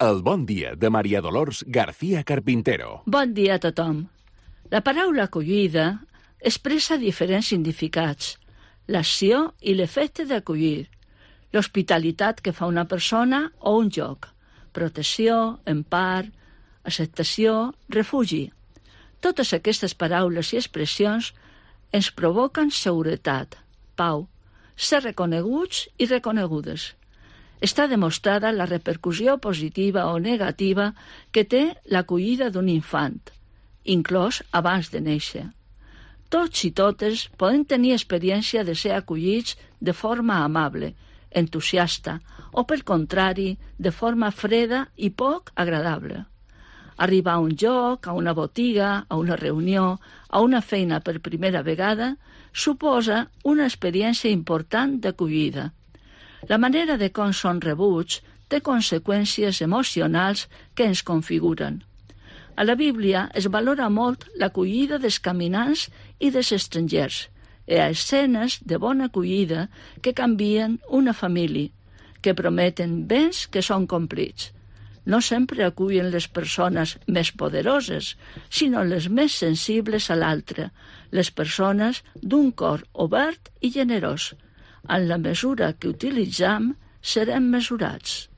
El bon dia de Maria Dolors García Carpintero. Bon dia a tothom. La paraula acollida expressa diferents significats. L'acció i l'efecte d'acollir. L'hospitalitat que fa una persona o un lloc. Protecció, empar, acceptació, refugi. Totes aquestes paraules i expressions ens provoquen seguretat, pau, ser reconeguts i reconegudes. Està demostrada la repercussió positiva o negativa que té l'acollida d'un infant, inclòs abans de néixer. Tots i totes poden tenir experiència de ser acollits de forma amable, entusiasta, o pel contrari, de forma freda i poc agradable. Arribar a un lloc, a una botiga, a una reunió, a una feina per primera vegada, suposa una experiència important d'acollida. La manera de com són rebuts té conseqüències emocionals que ens configuren. A la Bíblia es valora molt l'acollida dels caminants i dels estrangers. Hi ha escenes de bona acollida que canvien una família, que prometen béns que són complits. No sempre acullen les persones més poderoses, sinó les més sensibles a l'altre, les persones d'un cor obert i generós. En la mesura que utilitzam, serem mesurats.